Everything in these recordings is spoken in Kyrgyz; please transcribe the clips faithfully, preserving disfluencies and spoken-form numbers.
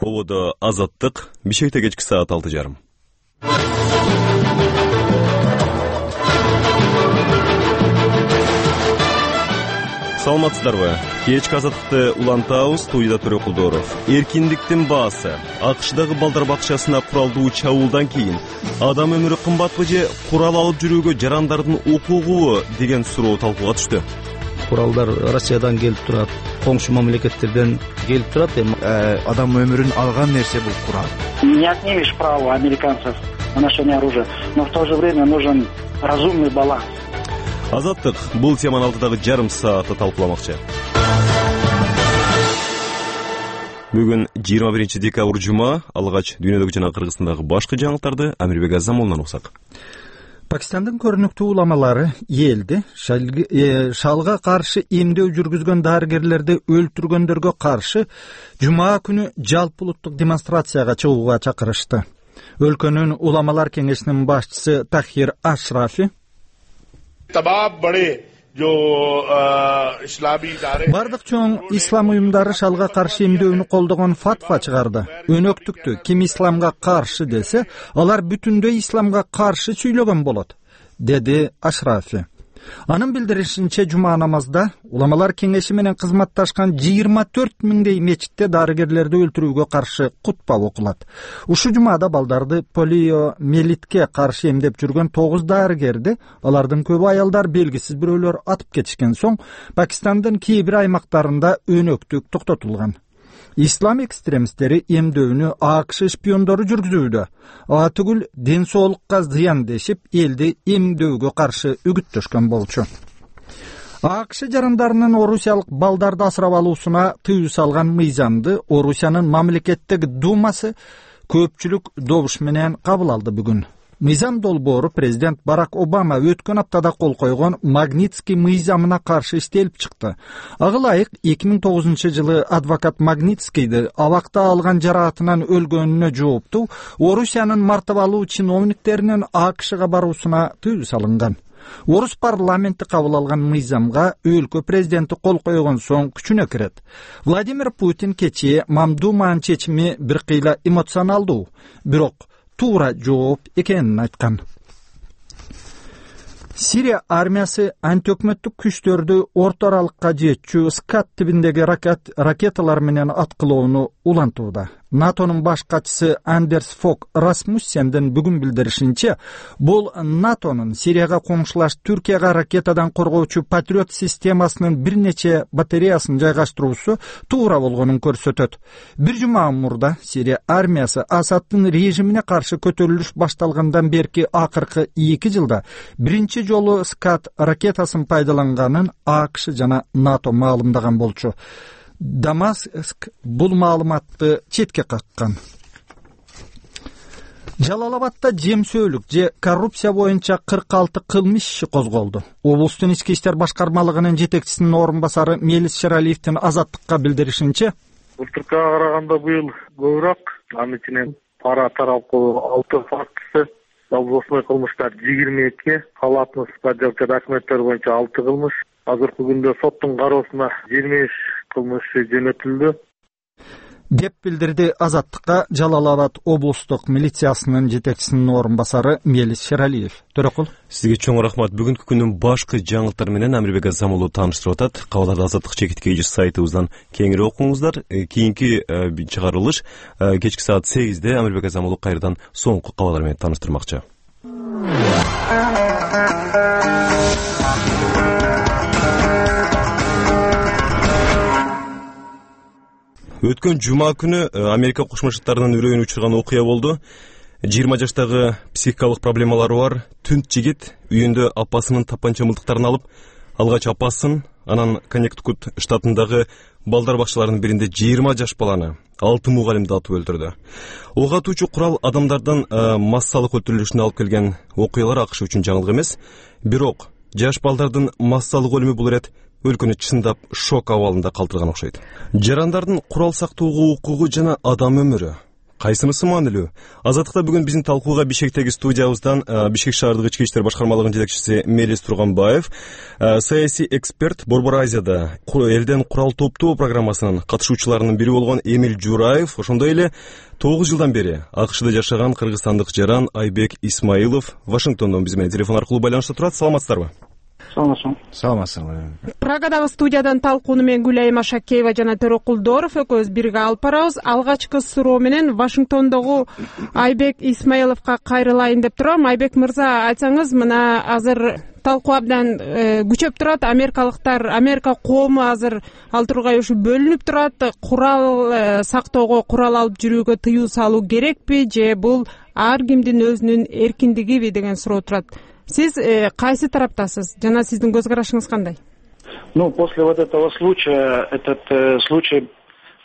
Ободо Азаттык, Бишкекте кечки саат алты жарым. Саламатсыздарбы? Кечки Азаттыкты улантабыз. Студияда Төрөкулдоров. Эркиндиктин баасы. АКШдагы балдар бакчасына куралдуу чабуулдан кийин адам өмүрү кымбатпы же курал алып жүрүүгө жарандардын укугубу деген суроо талкууга түштү. Куралдар Россиядан келип турат, коңшу мамлекеттерден келип турат. Эми адам өмүрүн алган нерсе бул курал. Не отнимешь право американцев на ношение оружия, но в то же время нужен разумный баланс. Азаттык бул теманы алтыдагы жарым саатта талкууламакчы. Бүгүн жыйырма биринчи декабрь жума. Алгач дүйнөдөгү жана Кыргызстандагы башкы жаңылыктарды Амирбек Азамолунан уксак. Пакистандын көрүнүктүү уламалары элди шалга каршы эмдөө жүргүзгөн дарыгерлерди өлтүргөндөргө каршы жума күнү жалпы улуттук демонстрацияга чыгууга чакырышты. Өлкөнүн уламалар кеңешинин башчысы Тахир Ашрафи бардык чоң ислам уюмдары шалга каршы эмдөөнү колдогон фатва чыгарды. Өнөктүктү ким исламга каршы десе, алар бүтүндөй исламга каршы сүйлөгөн болот, деди Ашрафи. Анын билдиришинче, жума намазда уламалар кеңеши менен кызматташкан жыйырма төрт миңдей мечитте дарыгерлерди өлтүрүүгө каршы кутба окулат. Ушу жумада балдарды полиомиелитке каршы эмдеп жүргөн тогуз дарыгерди, алардын көбү аялдар, белгисиз бирөөлөр атып кетишкен соң Пакистандын кээ бир аймактарында өнөктүк токтотулган. Ислам экстремисттери эмдөөнү АКШ шпиондору жүргүзүүдө, ага түгүл ден соолукка зыян дешип, элди эмдөөгө каршы үгүттөшкөн болчу. АКШ жарандарынын орусиялык балдарды асырап алуусуна тыюу салган мыйзамды Орусиянын мамлекеттик думасы көпчүлүк добуш менен кабыл алды бүгүн. Мыйзам долбоору президент Барак Обама өткөн аптада кол койгон Магнитский мыйзамына каршы иштелип чыкты. Ага ылайык эки миң тогузунчу жылы адвокат Магнитскийди абакта алган жараатынан өлгөнүнө жооптуу Орусиянын мартабалуу чиновниктеринин АКШга баруусуна тыюу салынган. Орус парламенти кабыл алган мыйзамга өлкө президенти кол койгон соң күчүнө кирет. Владимир Путин кечээ Мамдуманын чечими бир кыйла эмоционалдуу, бирок туура жооп экенин айткан. Сирия армиясы антиөкмөттүк күчтөрдү орто аралыкка жетчү Скат тибиндеги ракеталар менен аткылоону улантууда. НАТОнун баш катчысы Андерс Фок Расмуссендин бүгүн билдиришинче, бул НАТОнун Сирияга коңшулаш Түркияга ракетадан коргоочу Патриот системасынын бир нече батареясын жайгаштыруусу туура болгонун көрсөтөт. Бир жума мурда Сирия армиясы Асаддын режимине каршы көтөрүлүш башталгандан берки акыркы эки жылда биринчи жолу Скат ракетасын пайдаланганын АКШ жана НАТО маалымдаган болчу. Дамаск бул маалыматты четке каккан. Жалалабадда жемсөөлүк же коррупция боюнча кырк алты кылмыш иши козголду. Облустун ички иштер башкармалыгынын жетекчисинин орун басары Мелис Шералиевдин Азаттыкка билдиришинче, былтыркыга караганда быйыл көбүрөөк, анын ичинен пара таралгы алты фактысы, жалпы кылмыштар жыйырма эки, калаатын жабчы документтер боюнча алты кылмыш. Азыркы күндө соттун кароосуна жыйырма үч кылмыш жөнөтүлдү, деп билдирди Азаттыкка Жалалабад облустук милициясынын жетекчисинин орун басары Мелис Шералиев. Төрөкул, сизге чоң рахмат. Бүгүнкү күндүн башкы жаңылыктары менен Амирбек Азамолу тааныштырып атат. Кабарларды Азаттык чекитке эже сайтыбыздан кеңири окуңуздар. Кийинки чыгарылыш кечки саат сегизде Амирбек Азамолу кайрадан соңку кабарлар менен тааныштырмакчы. Өткөн жума күнү Америка Кошмо Штаттарынын үрөйүн учурган окуя болду. жыйырма жаштагы психикалык проблемалары бар түнт жигит үйүндө апасынын тапанча мылтыктарын алып, алгач апасын, анан Коннектикут штатындагы балдар бакчаларынын биринде жыйырма жаш баланы, алты мугалимди атып өлтүрдү. Ок атуучу курал адамдардын массалык өлтүрүлүшүнө алып келген окуялар АКШ үчүн жаңылык эмес. Бирок жаш балдардын массалык өлүмү бул ирет өлкөнү чындап шок абалында калтырган окшойт. Жарандардын курал сактоого укугу жана адам өмүрү Кайсынысы маанилүү? Азаттыкта бүгүн биздин талкууга Бишкектеги студиябыздан Бишкек шаардык ички иштер башкармалыгынын жетекчиси Мелис Турганбаев, саясий эксперт, Борбор Азияда элден курал топтоо программасынын катышуучуларынын бири болгон Эмиль Жураев, ошондой эле тогуз жылдан бери АКШда жашаган кыргызстандык жаран Айбек Исмаилов Вашингтондон биз менен телефон аркылуу байланышта турат. Саламатсыздарбы? Саламатсызбы. Саламатсызбы. Прагадагы студиядан талкууну мен Гүлайым Ашакеева жана Төрөкулдоров экөөбүз бирге алып барабыз. Алгачкы суроо менен Вашингтондогу Айбек Исмаиловго кайрылайын деп турам. Айбек мырза, айтсаңыз, мына азыр талкуу абдан күчөп турат. Америкалыктар, Америка коому азыр ал тургай ушу бөлүнүп турат. Курал сактоого, курал алып жүрүүгө тыюу салуу керекпи же бул ар кимдин өзүнүн эркиндигиби деген суроо турат. Сиз э, кайсы тараптасыз жана сиздин көз карашыңыз кандай? Ну, после вот этого случая, этот э, случай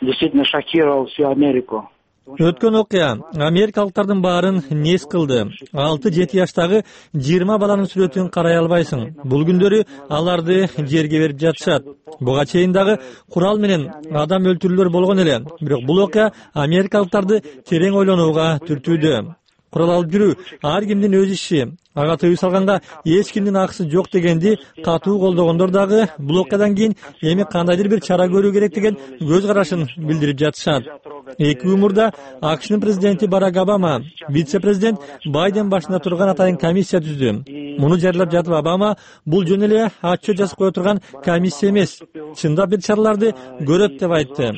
действительно шокировал всю Америку. Өткөн окуя америкалыктардын баарын нес кылды. алты жети жаштагы жыйырма баланын сүрөтүн карай албайсың. Бул күндөрү аларды жерге берип жатышат. Буга чейин дагы курал менен адам өлтүрүүлөр болгон эле. Бирок бул окуя америкалыктарды терең ойлонууга түртүүдө. Курал алып жүрүү ар кимдин өз иши. Ага тыюу салганга эч кимдин акысы жок дегенди катуу колдогондор дагы бул окуядан кийин эми кандайдыр бир чара көрүү керек деген көз карашын билдирип жатышат. Эки күн мурда АКШнын президенти Барак Обама, вице-президент Байден башында турган атайын комиссия түздү. Муну жарыялап жатып Обама бул жөн эле отчет жазып кое турган комиссия эмес, чындап бир чараларды көрөт деп айтты.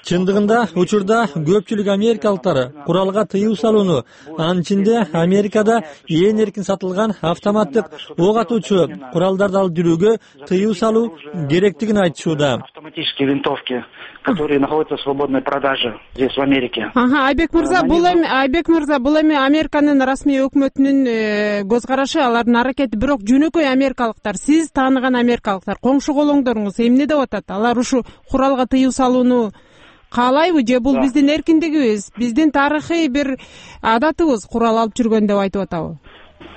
Чындыгында учурда көпчүлүк америкалыктар куралга тыюу салууну, анын ичинде Америкада эң эркин сатылган автоматтык ок атуучу куралдарды алып жүрүүгө тыюу салуу керектигин айтышууда. Автоматические винтовки, которые находятся в свободной продаже здесь в Америке. Ага, Айбек мырза, бул эми Айбек мырза, бул эми Американын расмий өкмөтүнүн көз карашы, алардын аракети, бирок жөнөкөй америкалыктар, сиз тааныган америкалыктар, коңшу колоңдоруңуз эмне деп атат? Алар ушу куралга тыюу салууну каалайбы же бул биздин эркиндигибиз, биздин тарыхый бир адатыбыз курал алып жүргөн деп айтып атабы?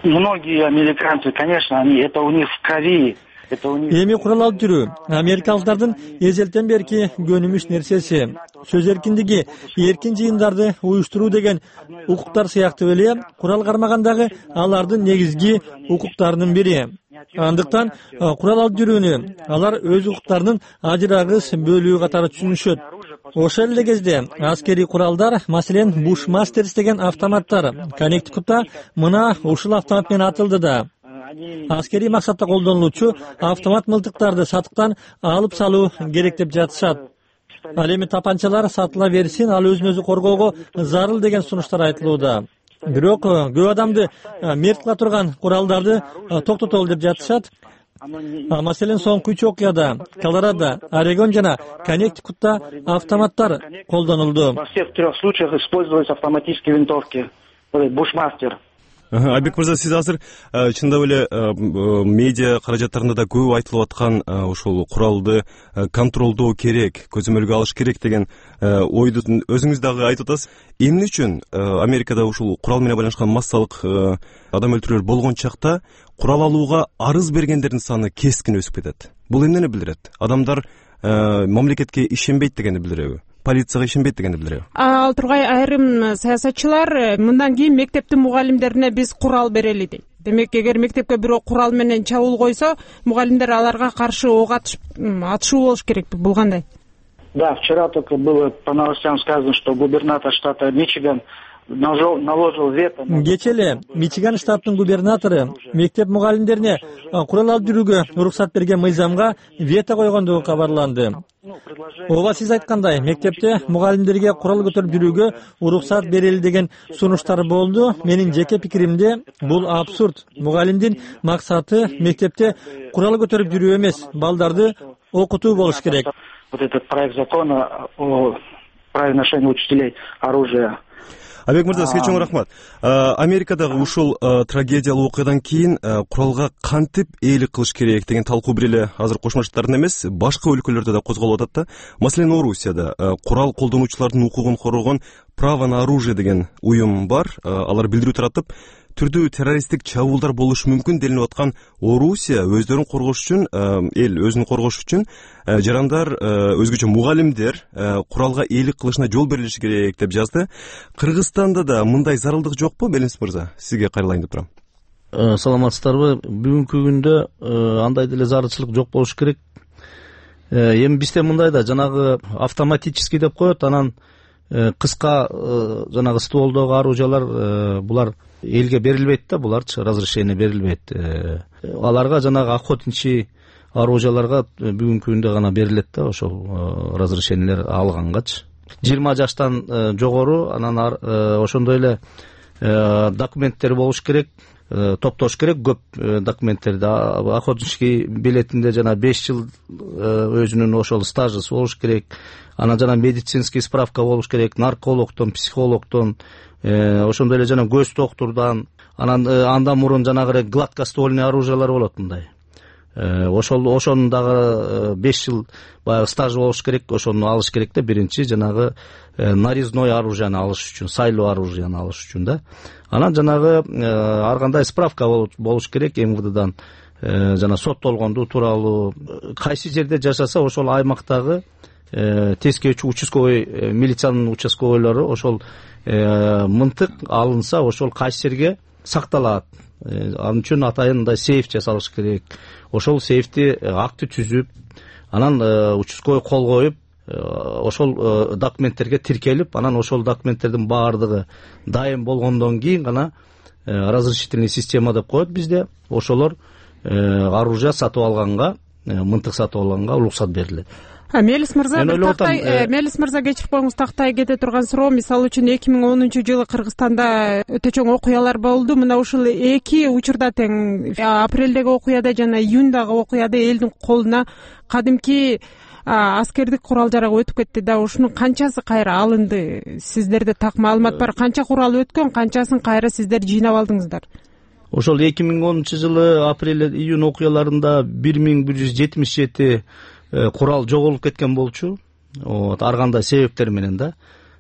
Многие американцы, конечно, они это у них в крови. Эми курал алып жүрүү америкалыктардын эзелтен берки көнүмүш нерсеси. Сөз эркиндиги, эркин жыйындарды уюштуруу деген укуктар сыяктуу эле курал кармагандагы алардын негизги укуктарынын бири. Андыктан курал алып жүрүүнү алар өз укуктарынын ажырагыс бөлүгү катары түшүнүшөт. Ошол эле кезде аскерий куралдар, маселен Bushmasters деген автоматтар Коннектикутта мына ушул автомат менен атылды да. Аскерий максатта колдонулуучу автомат мылтыктарды сатыктан алып салуу керек деп жатышат. Ал эми тапанчалар сатыла берсин, ал өзүн өзү коргоого зарыл деген сунуштар айтылууда. Бирок көп адамды мерт кыла турган куралдарды токтотолу деп жатышат. Маселен соңку үч окуяда Колорадо, Орегон жана Коннектикутта автоматтар колдонулду. Во всех трех случаях использовались автоматические винтовки. Bushmaster. Айбек мырза, сиз азыр чындап эле медиа каражаттарында да көп айтылып аткан ошол куралды контролдоо керек, көзөмөлгө алыш керек деген ойду өзүңүз дагы айтып атасыз. Эмне үчүн Америкада ушул курал менен байланышкан массалык адам өлтүрүүлөр болгон чакта курал алууга арыз бергендердин саны кескин өсүп кетет? Бул эмнени билдирет? Адамдар мамлекетке ишенбейт дегенди билдиреби? Полицияга ишенбейт дегенди билдиреби? Ал тургай айрым саясатчылар мындан кийин мектептин мугалимдерине биз курал берели дейт. Демек, эгер мектепке бирөө курал менен чабуул койсо, мугалимдер аларга каршы ок атышуу болуш керекпи? Бул кандай? Да, вчера только было по новостям сказано, что губернатор штата Мичиган наложил вето. Кече эле Мичиган штатынын губернатору мектеп мугалимдерине курал алып жүрүүгө уруксат берген мыйзамга вето койгондугу кабарланды. Ооба, сиз айткандай, мектепте мугалимдерге курал көтөрүп жүрүүгө уруксат берели деген сунуштар болду. Менин жеке пикиримде бул абсурд. Мугалимдин максаты мектепте курал көтөрүп жүрүү эмес, балдарды окутуу болуш керек. Вот этот проект закона о праве ношения учителей оружия. Айбек мырза, сизге чоң рахмат. Америкадагы ушул трагедиялуу окуядан кийин куралга кантип ээлик кылыш керек деген талкуу бир эле азыр Кошмо Штаттарда эмес, башка өлкөлөрдө да козголуп атат да. Маселен, Орусияда курал колдонуучулардын укугун коргогон Право на оружие деген уюм бар. Алар билдирүү таратып, түрдүү террористтик чабуулдар болушу мүмкүн делинип аткан Орусия өздөрүн коргош үчүн, эл өзүн коргош үчүн жарандар, өзгөчө мугалимдер куралга ээлик кылышына жол берилиши керек деп жазды. Кыргызстанда да мындай зарылдык жокпу, Белимис мырза? Сизге кайрылайын деп турам. Саламатсыздарбы? Бүгүнкү күндө андай деле зарылчылык жок болуш керек. Эми бизде мындай да жанагы автоматический деп коет, анан кыска жанагы стволдогу оружиялар булар элге берилбейт да, буларчы разрешение берилбейт. Аларга жанагы охотничий оружияларга бүгүнкү күндө гана берилет да, ошол разрешениелер алгангачы. жыйырма жаштан жогору, анан ошондой эле документтер болуш керек, топтош керек көп документтерди. Охотничий билетинде жана беш жыл өзүнүн ошол стажысы болуш керек. Анан жана медицинский справка болуш керек, наркологдон, психологдон, ошондой эле жана көз доктурдан. Анан андан мурун жанагы гладкоствольный оружиялар болот мындай. Ошол ошонун дагы беш жыл баягы стаж болуш керек, ошону алыш керек да, биринчи жанагы нарезной оружияны алыш үчүн, сайлоо оружияны алыш үчүн да. Анан жанагы ар кандай справка болуш керек эм вэ дэдан, жана соттолгондуу тууралуу, кайсы жерде жашаса ошол аймактагы тескечи участковый милициянын участковойлору ошол мынтык алынса, ошол кайсы жерге сакталат. Ал үчүн атайын мындай сейф жасалыш керек. Ошол сейфти акты түзүп, анан участковый кол коюп, ошол документтерге тиркелип, анан ошол документтердин баардыгы дайым болгондон кийин гана разрешительный система деп коет бизде. Ошолор оружие сатып алганга, мынтык сатып алганга уруксат берилет. Мелис мырза, тактай, Мелис мырза кечирип коюңуз, тактай кете турган суроо. Мисалы үчүн эки миң онунчу жылы Кыргызстанда өтө чоң окуялар болду. Мына ушул эки учурда тең, апрелдеги окуяда жана июндагы окуяда элдин колуна кадимки аскердик курал жарак өтүп кетти да. Ушунун канчасы кайра алынды? Сиздерде так маалымат бар? Канча курал өткөн, канчасын кайра сиздер жыйнап алдыңыздар? Ошол эки миң онунчу жылы апрель июнь окуяларында бир миң бир жүз жетимиш жети курал жоголуп кеткен болчу. Ар кандай себептер менен да.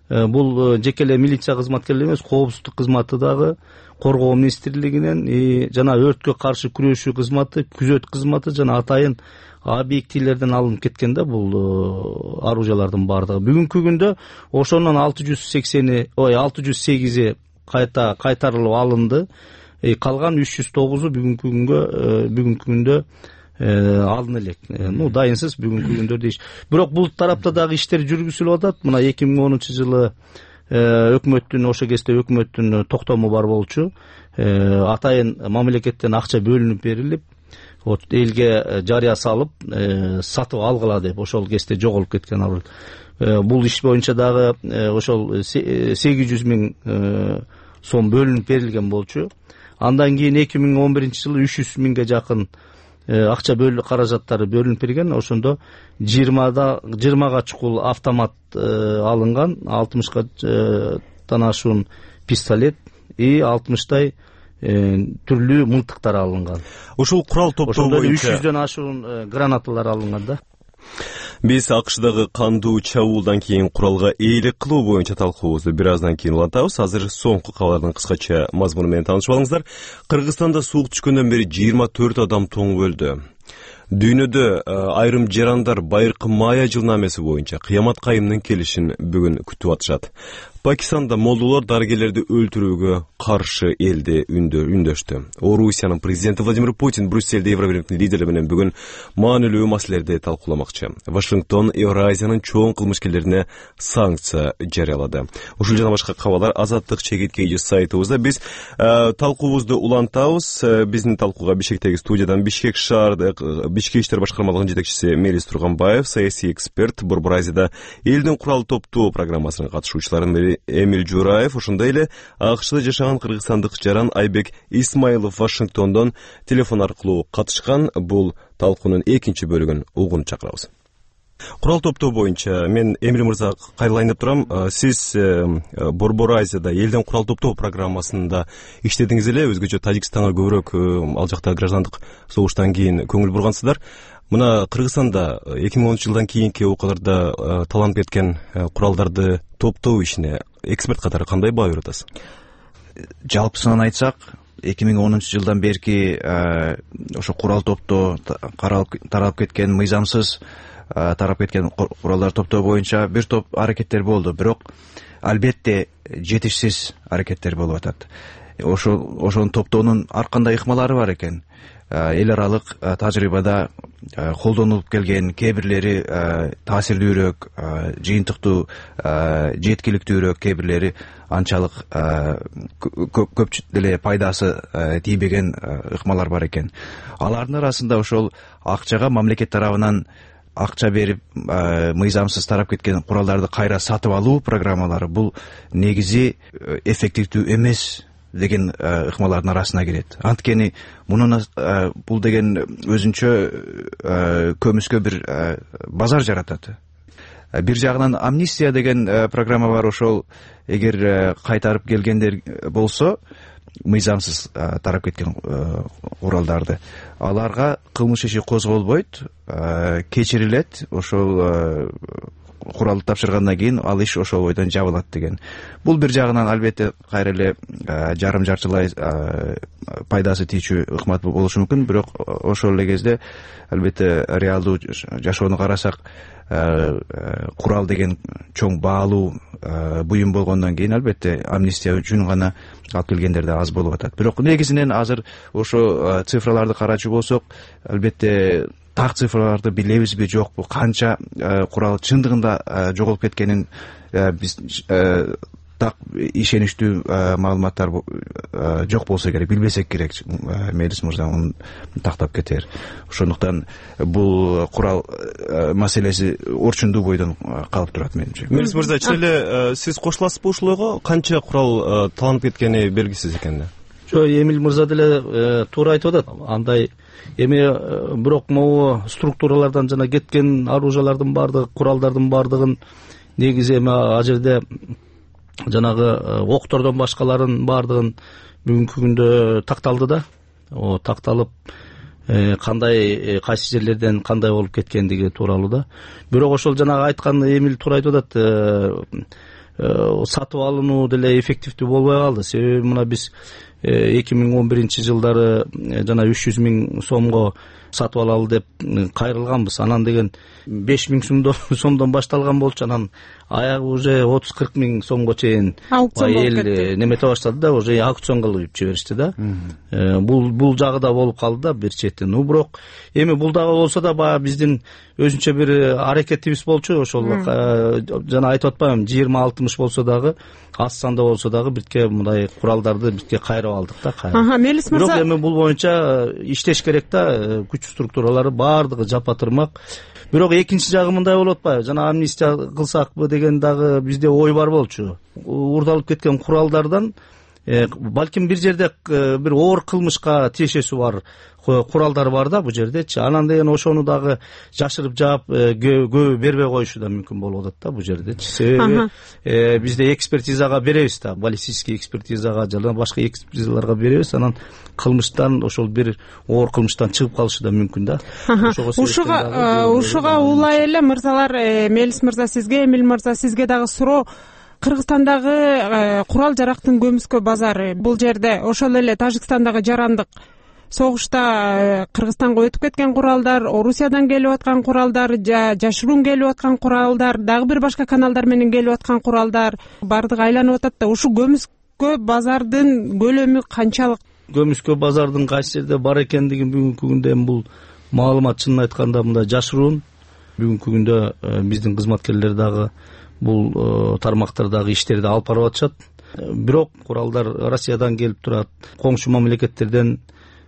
Бул жеке эле милиция кызматкерлери эмес, коопсуздук кызматы дагы, коргоо министрлигинен жана өрткө каршы күрөшүү кызматы, күзөт кызматы жана атайын объектилерден алынып кеткен да бул оружиялардын баардыгы. Бүгүнкү күндө ошонун алты жүз сексени, ой алты жүз сегизи кайта кайтарылып алынды. Калган үч жүз тогузу бүгүнкү күнгө бүгүнкү күндө алын элек. Ну, дайынсыз бүгүнкү күндө дейш. Бирок бул тарапта дагы иштер жүргүзүлүп атат. Мына эки миң онунчу жылы өкмөттүн, ошо кезде өкмөттүн токтому бар болчу. Атайын мамлекеттен акча бөлүнүп берилип, элге жарыя салып, сатып алгыла деп ошол кезде жоголуп кеткен оружие. Бул иш боюнча дагы ошол сегиз жүз миң сом бөлүнүп берилген болчу. Андан кийин эки миң он биринчи жылы үч жүз миңге жакын акча бөлүп каражаттары бөлүнүп берген. Ошондо жыйырмага чукул автомат алынган, алтымышка ашуун пистолет и алтымыштай түрлүү мылтыктар алынган. Ушул курал топтоо боюнча үч жүздөн ашуун гранаталар алынган да. Биз АКШдагы кандуу чабуулдан кийин куралга ээлик кылуу боюнча талкуубузду бир аздан кийин улантабыз. Азыр соңку кабардын кыскача мазмуну менен таанышып алыңыздар. Кыргызстанда суук түшкөндөн бери жыйырма төрт адам тоңуп өлдү. Дүйнөдө айрым жарандар байыркы мая жылнамеси боюнча кыямат кайымдын келишин бүгүн күтүп атышат. Пакистанда молдолор дарыгерлерди өлтүрүүгө каршы элди үндөштү. Орусиянын президенти Владимир Путин Брюссельде Евробирликтин лидери менен бүгүн маанилүү маселелерди талкууламакчы. Вашингтон Евразиянын чоң кылмышкерлерине санкция жарыялады. Ушул жана башка кабарлар Азаттык чегиткейи сайтыбызда. Биз талкуубузду улантабыз. Биздин талкууга Бишкектеги студиядан Бишкек шаардык Ички иштер башкармалыгынын жетекчиси Мелис Турганбаев, саясий эксперт, Борбор Азияда элдин курал топтоо программасынын катышуучуларынын бири Эмиль Жураев, ошондой эле АКШда жашаган кыргызстандык жаран Айбек Исмаилов Вашингтондон телефон аркылуу катышкан. Бул талкуунун экинчи бөлүгүн угууну чакырабыз. Курал топтоо боюнча мен Эмиль мырза кайрылайын деп турам. Сиз Борбор Азияда элдин курал топтоо программасында иштедиңиз эле, өзгөчө Тажикстанга көбүрөөк ал жакта граждандык согуштан кийин көңүл бургансыздар. Мына Кыргызстанда эки миң онунчу жылдан кийинки окуяларда таланып кеткен куралдарды топтоо ишине эксперт катары кандай баа берип атасыз? Жалпысынан айтсак, эки миң онунчу жылдан берки ошо курал топтоо таралып кеткен, мыйзамсыз тарап кеткен куралдар топтоо боюнча бир топ аракеттер болду, бирок албетте жетишсиз аракеттер болуп атат. Ошо ошонун топтоонун ар кандай ыкмалары бар экен. Эл аралык тажрыйбада колдонулуп келген, кээ бирлери таасирдүүрөөк, жыйынтыктуу, жеткиликтүүрөөк, кээ бирлери анчалык көп деле пайдасы тийбеген ыкмалар бар экен. Алардын арасында ошол акчага мамлекет тарабынан акча берип мыйзамсыз тарап кеткен куралдарды кайра сатып алуу программалары бул негизи эффективдүү эмес деген ыкмалардын арасына кирет. Анткени мунун бул деген өзүнчө көмүскө бир базар жаратат. Бир жагынан амнистия деген программа бар, ошол эгер кайтарып келгендер болсо, мыйзамсыз тарап кеткен куралдарды, аларга кылмыш иши козголбойт, кечирилет, ошол куралды тапшыргандан кийин ал иш ошол бойдон жабылат деген. Бул бир жагынан албетте кайра эле жарым жартылай пайдасы тийчү ыкмат болушу мүмкүн, бирок ошол эле кезде албетте реалдуу жашоону карасак, курал деген чоң баалуу буюм болгондон кийин албетте амнистия үчүн гана алып келгендер да аз болуп атат. Бирок негизинен азыр ошо цифраларды карачу болсок, албетте так цифраларды билебизби жокпу, канча курал чындыгында жоголуп кеткенин биз так ишеничтүү маалыматтар жок болсо керек, билбесек керек. Мелис мырза муну тактап кетер. Ошондуктан бул курал маселеси орчундуу бойдон калып турат менимче. Мелис мырза, чын эле сиз кошуласызбы ушул ойго? Канча курал таланып кеткени белгисиз экен да. Жок, Эмил мырза деле туура айтып атат. Андай эми бирок могу структуралардан жана кеткен оружиялардын баардыгы, куралдардын баардыгын негизи эми а жерде жанагы октордон башкаларын баардыгын бүгүнкү күндө такталды да. О такталып кандай кайсы жерлерден кандай болуп кеткендиги тууралуу да. Бирок ошол жанагы айткан Эмил туура айтып атат. Сатып алынуу деле эффективдүү болбой калды. Себеби мына биз эки миң он биринчи жылдары жана үч жүз миң сомго сатып алалы деп кайрылганбыз. Анан деген беш миң сомдон башталган болчу, анан аягы уже отуз кырк миң сомго чейин эл немете баштады да, уже аукцион кылып жиберишти да. Бул бул жагы да болуп калды да бир четтен. Ну бирок эми бул дагы болсо да баягы биздин өзүнчө бир аракетибиз болчу. Ошол жана айтып атпаймынбы, жыйырма алтымыш болсо дагы, аз санда болсо дагы бирке мындай куралдарды бирке кайрып алдык да. Ага, Мелис мырза. Бирок эми бул боюнча иштеш керек да, күч структуралары баардыгы жапа-тырмак. Бирок экинчи жагы мындай болуп атпайбы? Жана амнистия кылсакпы деген дагы бизде ой бар болчу. Урдалып кеткен куралдардан балким бир жерде бир оор кылмышка тиешеси бар куралдар бар да бу жердечи. Анан деген ошону дагы жашырып жаап көбү бербей коюшу да мүмкүн болуп атат да бу жердечи. Себеби бизде экспертизага беребиз да, баллистический экспертизага жана башка экспертизаларга беребиз. Анан кылмыштан, ошол бир оор кылмыштан чыгып калышы да мүмкүн да. Ушуга ушуга улай эле мырзалар, Мелис мырза сизге, Эмил мырза сизге дагы суроо. Кыргызстандагы курал жарактын көмүскө базары бул жерде, ошол эле Тажикстандагы жарандык согушта Кыргызстанга өтүп кеткен куралдар, Орусиядан келип аткан куралдар, жашыруун келип аткан куралдар, дагы бир башка каналдар менен келип аткан куралдар баардыгы айланып атат да. Ушу көмүскө базардын көлөмү канчалык? Көмүскө базардын кайсы жерде бар экендигин бүгүнкү күндө бул маалымат чынын айтканда мындай жашыруун. Бүгүнкү күндө биздин кызматкерлер дагы бул тармактардагы иштерди алып барып атышат. Бирок куралдар Россиядан келип турат, коңшу мамлекеттерден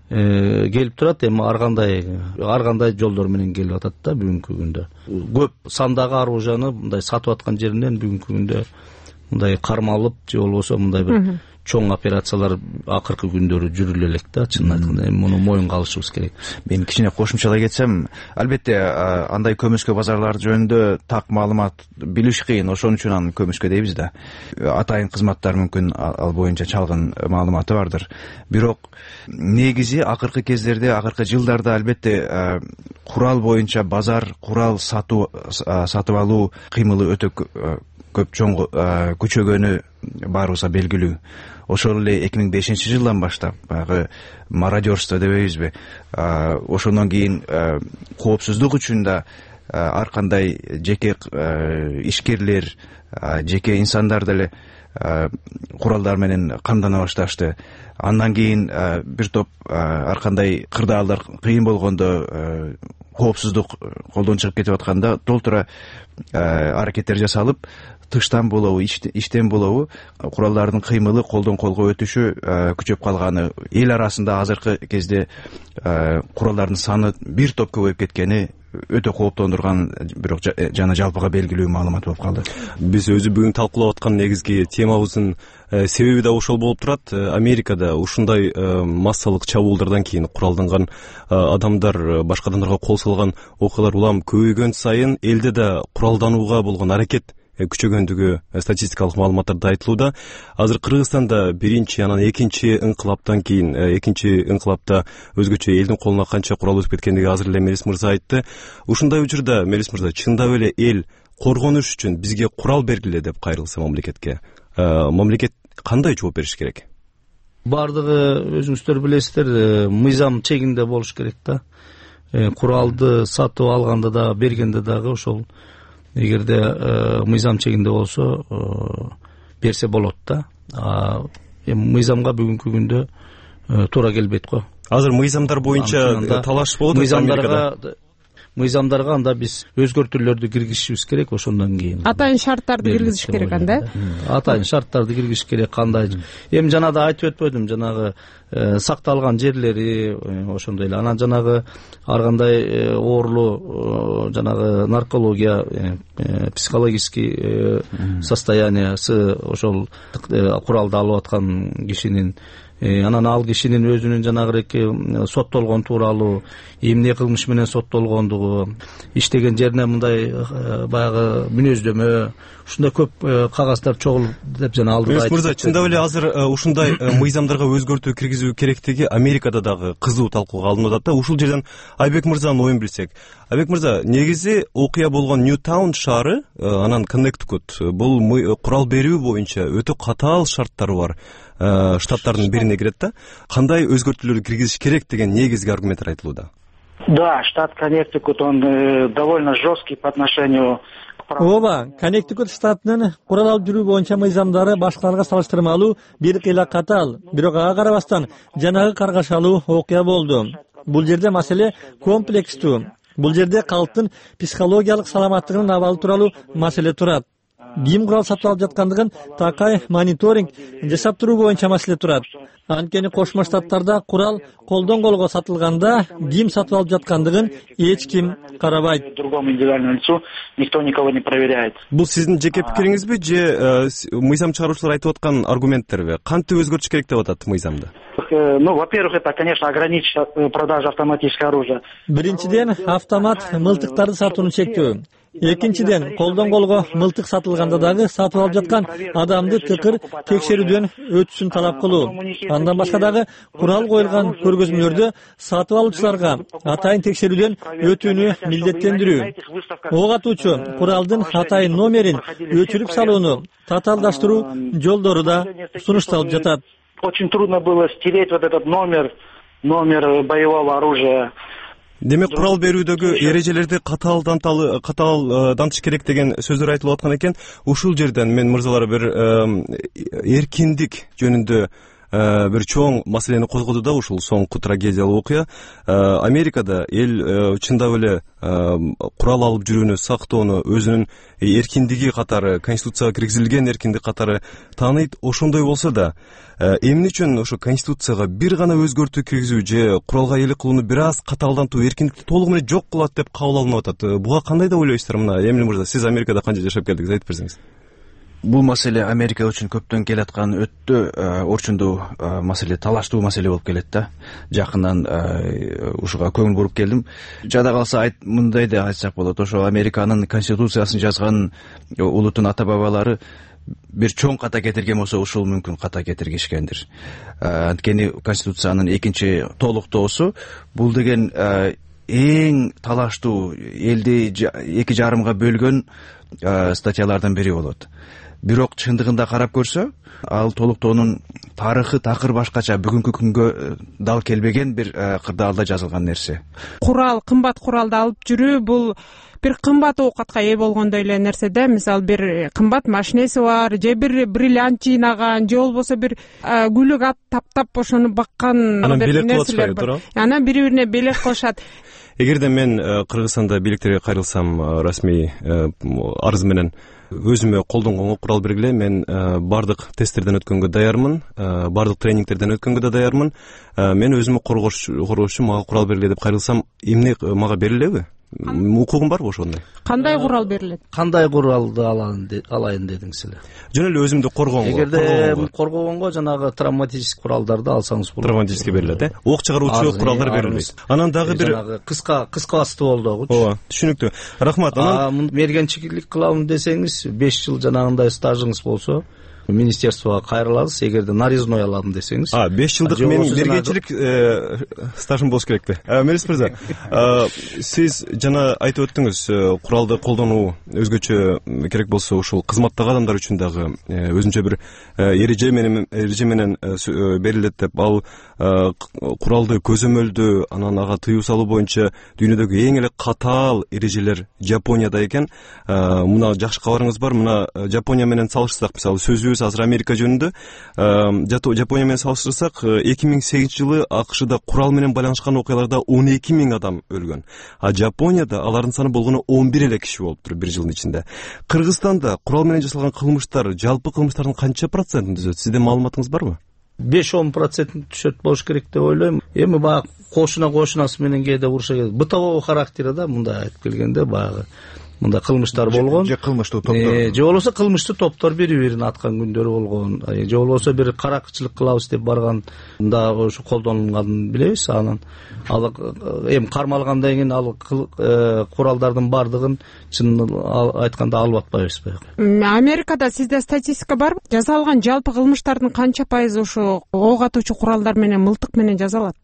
келип турат. Эми ар кандай ар кандай жолдор менен келип атат да бүгүнкү күндө. Көп сандагы оружияны мындай сатып аткан жеринен бүгүнкү күндө мындай кармалып же болбосо мындай бир чоң операциялар акыркы күндөрү жүрүлө элек да, чынын айтканда. Эми муну моюнга алышыбыз керек. Мен кичине кошумчалай кетсем, албетте андай көмүскө базарлар жөнүндө так маалымат билиш кыйын, ошон үчүн аны көмүскө дейбиз да. Атайын кызматтар мүмкүн ал боюнча чалгын маалыматы бардыр. Бирок негизи акыркы кездерде, акыркы жылдарда албетте курал боюнча базар, курал сатуу сатып алуу кыймылы өтө көп чоң күчөгөнү баарыбызга белгилүү. Ошол эле эки миң бешинчи жылдан баштап баягы мародерство дебейбизби, ошондон кийин коопсуздук үчүн да ар кандай жеке ишкерлер, жеке инсандар деле куралдар менен камдана башташты. Андан кийин бир топ ар кандай кырдаалдар кыйын болгондо, коопсуздук колдон чыгып кетип атканда толтура аракеттер жасалып, тыштан болобу, иштен болобу куралдардын кыймылы колдон колго өтүшү күчөп калганы, эл арасында азыркы кезде куралдардын саны бир топ көбөйүп кеткени өтө кооптондурган, бирок жана жалпыга белгилүү маалымат болуп калды. Биз өзү бүгүн талкуулап аткан негизги темабыздын себеби да ошол болуп турат. Америкада ушундай массалык чабуулдардан кийин куралданган адамдар башка адамдарга кол салган окуялар улам көбөйгөн сайын элде да куралданууга болгон аракет күчөгөндүгү статистикалык маалыматтарда айтылууда. Азыр Кыргызстанда биринчи, анан экинчи инкылаптан кийин, экинчи инкылапта өзгөчө элдин колуна канча курал өтүп кеткендиги азыр эле Мелис мырза айтты. Ушундай учурда Мелис мырза, чындап эле эл коргонуш үчүн бизге курал бергиле деп кайрылса мамлекетке, мамлекет кандай жооп бериш керек? Бардыгы өзүңүздөр билесиздер, мыйзам чегинде болуш керек да. Куралды сатып алганда да, бергенде дагы ошол эгерде мыйзам чегинде болсо берсе болот да. Эми мыйзамга бүгүнкү күндө туура келбейт го. Азыр мыйзамдар боюнча талаш болот. Мыйзамдарга мыйзамдарга анда биз өзгөртүүлөрдү киргизишибиз керек, ошондон кийин. Атайын шарттарды киргизиш керек анда. Атайын шарттарды киргизиш керек. Кандай? Эми жана да айтып өтпөдүм, жанагы сакталган жерлери ошондой эле. Анан жанагы ар кандай оорулуу жанагы наркология, психологический состояниясы ошол куралды алып аткан кишинин, анан ал кишинин өзүнүн жанагыреки соттолгон тууралуу, эмне кылмыш менен соттолгондугу, иштеген жерине мындай баягы мүнөздөмө, ушундай көп кагаздар чогулуп деп жана алдыда айтып. Мырза, чындап эле азыр ушундай мыйзамдарга өзгөртүү киргизүү керектиги Америкада дагы кызуу талкууга алынып атат да. Ушул жерден Айбек мырзанын оюн билсек. Айбек мырза, негизи окуя болгон Ньютаун шаары, анан Коннектикут, бул курал берүү боюнча өтө катаал шарттары бар штаттардын бирине кирет да. Кандай өзгөртүүлөрдү киргизиш керек деген негизги аргументтер айтылууда. Да, штат Коннектикут, он довольно жесткий по отношению к праву. Ооба, Коннектикут штатынын курал алып жүрүү боюнча мыйзамдары башкаларга салыштырмалуу бир кыйла катаал, бирок ага карабастан жанагы каргашалуу окуя болду. Бул жерде маселе комплекстүү. Бул жерде калктын психологиялык саламаттыгынын абалы тууралуу маселе турат. Ким курал сатып алып жаткандыгын такай мониторинг жасап туруу боюнча маселе турат. Анткени Кошмо Штаттарда курал колдон колго сатылганда ким сатып алып жаткандыгын эч ким карабайт. Другому индивидуальному лицу никто никого не проверяет. Бул сиздин жеке пикириңизби же мыйзам чыгаруучулар айтып аткан аргументтерби? Кантип өзгөртүш керек деп атат мыйзамды? Ну, во-первых, это, конечно, ограничить продажу автоматического оружия. Биринчиден, автомат мылтыктарды сатууну чектөө. Экинчиден, колдон колго мылтык сатылганда дагы сатып алып жаткан адамды тыкыр текшерүүдөн өтүшүн талап кылуу. Андан башка дагы курал коюлган көргөзмөлөрдө сатып алуучуларга атайын текшерүүдөн өтүүнү милдеттендирүү. Ок атуучу куралдын атайын номерин өчүрүп салууну татаалдаштыруу жолдору да сунушталып жатат. Очень трудно было стереть вот этот номер, номер боевого оружия. Демек, курал берүүдөгү эрежелерди катаалдан катаалдантыш керек деген сөздөр айтылып аткан экен. Ушул жерден мен мырзалар бир эркиндик жөнүндө бир чоң маселени козгоду да, ушул соңку трагедиялык окуя. Америкада эл чындап эле курал алып жүрүүнү сактоону өзүнүн эркиндиги катары, конституцияга киргизилген эркиндик катары тааныйт. Ошондой болсо да, эмне үчүн ошо конституцияга бир гана өзгөртүү киргизүү же куралга ээлик кылууну бир аз катаалдантуу эркиндикти толугу менен жок кылат деп кабыл алынып атат. Буга кандай деп ойлойсуздар? Мына Эмиль мырза, сиз Америкада канча жашап келдиңиз, айтып берсеңиз. Бул маселе Америка үчүн көптөн келаткан өтө орчундуу маселе, талаштуу маселе болуп келет да. Жакындан ушуга көңүл буруп келдим. Жада калса айт мындай да айтсак болот. Ошо Американын конституциясын жазган улуттун ата бабалары бир чоң ката кетирген болсо, ушул мүмкүн ката кетиргишкендир. Анткени конституциянын экинчи толуктоосу бул деген эң талаштуу, элди эки жарымга бөлгөн статьялардын бири болот. Бирок чындыгында карап көрсө, ал толуктоонун тарыхы такыр башкача, бүгүнкү күнгө дал келбеген бир кырдаалда жазылган нерсе. Курал, кымбат куралды алып жүрүү бул бир кымбат оокатка ээ болгондой эле нерсе да. Мисалы бир кымбат машинеси бар, же бир бриллиант жыйнаган, же болбосо бир гүлүк ат таптап ошону баккан нерселер бар. Анан бири-бирине белек кылышат. Эгерде мен Кыргызстанда бийликтерге кайрылсам, расмий арыз менен өзүмө колдонгонго курал бергиле, мен бардык тесттерден өткөнгө даярмын, бардык тренингтерден өткөнгө да даярмын. Мен өзүмө коргош үчүн мага курал бергиле деп кайрылсам, эмне мага берилеби? Укугум барбы ошондой? Кандай курал берилет? Кандай куралды алайын дедиңиз эле? Жөн эле өзүмдү коргонго. Эгерде коргогонго жанагы травматический куралдарды алсаңыз болот. Травматический берилет, э? Ок чыгаруучу куралдар берилбейт. Анан дагы бир жанагы кыска кыска стволдогучу. Ооба, түшүнүктүү. Рахмат. Анан мергенчилик кылам десеңиз, беш жыл жанагындай стажыңыз болсо, министерствого кайрыласыз. Эгерде нарезной алам десеңиз. А, беш жылдык менин мергенчилик стажым болуш керек да. Мелис мырза, сиз жана айтып өттүңүз, куралды колдонуу өзгөчө керек болсо ушул кызматтагы адамдар үчүн дагы өзүнчө бир эреже менен эреже менен берилет деп. Ал куралды көзөмөлдөө, анан ага тыюу салуу боюнча дүйнөдөгү эң эле катаал эрежелер Жапонияда экен. Мына жакшы кабарыңыз бар. Мына Жапония менен салыштырсак, мисалы сөзүбүз азыр Америка жөнүндө, Жапония менен салыштырсак, эки миң сегизинчи жылы АКШда курал менен байланышкан окуяларда он эки миң адам өлгөн. А Жапонияда алардын саны болгону он бир эле киши болуптур бир жылдын ичинде. Кыргызстанда курал менен жасалган кылмыштар жалпы кылмыштардын канча процентин түзөт? Сизде маалыматыңыз барбы? беш он процентин түшөт болуш керек деп ойлойм. Эми баягы кошуна кошунасы менен кээде уруша келет. Бытовой характери да, мындай айтып келгенде баягы мындай кылмыштар болгон. Же кылмыштуу топтор. Же болбосо кылмыштуу топтор бири-бирин аткан күндөрү болгон. Же болбосо бир каракчылык кылабыз деп барган да ошо колдонулганын билебиз. Анан ал эми кармалгандан кийин ал куралдардын бардыгын чын айтканда алып атпайбыз баягы. Америкада сизде статистика барбы? Жасалган жалпы кылмыштардын канча пайызы ошо ок атуучу куралдар менен, мылтык менен жасалат?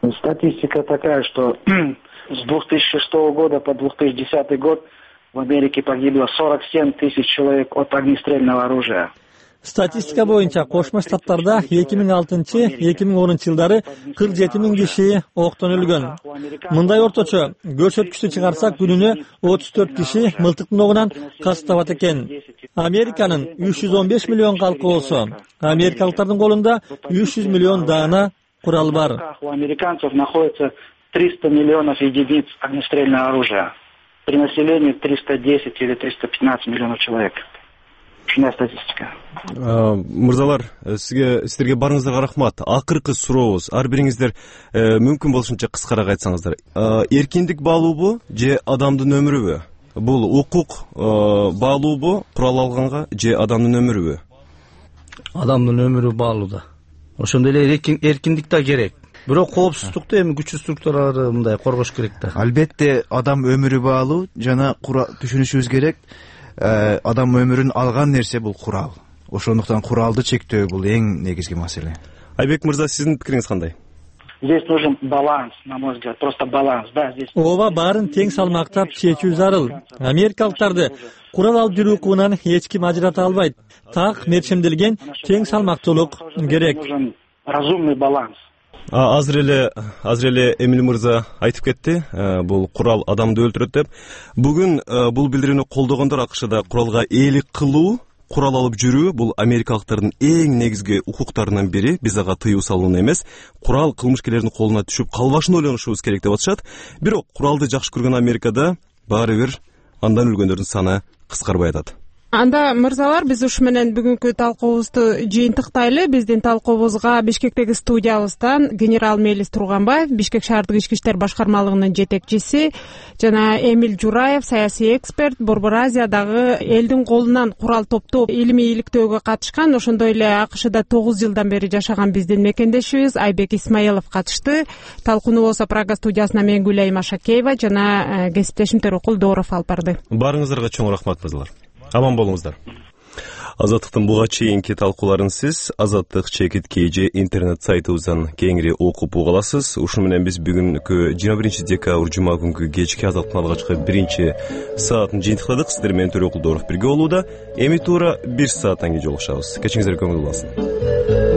Статистика такая, что с две тысячи шестого года по две тысячи десятый год в Америке погибло сорок семь тысяч человек от огнестрельного оружия. Статистика боюнча Кошмо Штаттарда эки миң алтынчы — эки миң онунчу жылдары кырк жети миң киши октон өлгөн. Мындай орточо көрсөткүчтү чыгарсак, күнүнө отуз төрт киши мылтыктын огунан кас табат экен. Американын үч жүз он беш миллион калкы болсо, америкалыктардын колунда үч жүз миллион даана курал бар. У американцев находится триста миллионов единиц огнестрельного оружия. При населении триста десять или триста пятнадцать миллионов человек. Ушундай статистика. Мырзалар, сизге сиздерге барыңыздарга рахмат. Акыркы сурообуз, ар бириңиздер мүмкүн болушунча кыскараак айтсаңыздар. Эркиндик баалуубу же адамдын өмүрүбү? Бул укук баалуубу курал алганга же адамдын өмүрүбү? Адамдын өмүрү баалууда. Ошондой эле эркиндик да керек. Бирок коопсуздукту эми күчтүү структуралар мындай коргош керек да. Албетте адам өмүрү баалуу, жана түшүнүшүбүз керек, адам өмүрүн алган нерсе бул курал. Ошондуктан куралды чектөө бул эң негизги маселе. Айбек мырза, сиздин пикириңиз кандай? Здесь нужен баланс, на мой взгляд, просто баланс. Да, здесь. Ооба, баарын тең салмактап чечүү зарыл. Америкалыктарды курал алып жүрүү укугунан эч ким ажырата албайт. Так мерчемделген тең салмактуулук керек. Нужен разумный баланс. Азыр эле азыр эле Эмил мырза айтып кетти, бул курал адамды өлтүрөт деп. Бүгүн бул билдирүүнү колдогондор АКШда куралга ээлик кылуу, курал алып жүрүү бул америкалыктардын эң негизги укуктарынын бири. Биз ага тыюу салууну эмес, курал кылмышкерлердин колуна түшүп калбашын ойлонушубуз керек деп атышат. Бирок куралды жакшы көргөн Америкада баары бир андан өлгөндөрдүн саны кыскарбай атат. Анда мырзалар, биз ушу менен бүгүнкү талкуубузду жыйынтыктайлы. Биздин талкуубузга Бишкектеги студиябыздан генерал Мелис Турганбаев, Бишкек шаардык ички иштер башкармалыгынын жетекчиси, жана Эмил Жураев, саясий эксперт, Борбор Азиядагы элдин колунан курал топтоп илимий иликтөөгө катышкан, ошондой эле АКШда тогуз жылдан бери жашаган биздин мекендешибиз Айбек Исмаилов катышты. Талкууну болсо Прага студиясына мен Гүлайым Ашакеева жана кесиптешим Төрөкул Дооров алып барды. Баарыңыздарга чоң рахмат мырзалар. Аман болуңуздар. Азаттыктын буга чейинки талкууларын сиз Азаттык чекит kg интернет сайтыбыздан кеңири окуп уга аласыз. Ушуну менен биз бүгүнкү жыйырма биринчи декабрь жума күнкү кечки Азаттыктын алгачкы биринчи саатын жыйынтыкладык. Сиздер менен Төрөкулдоров бирге болууда. Эми туура бир сааттан кийин жолугушабыз. Кечиңиздер көңүл болсун.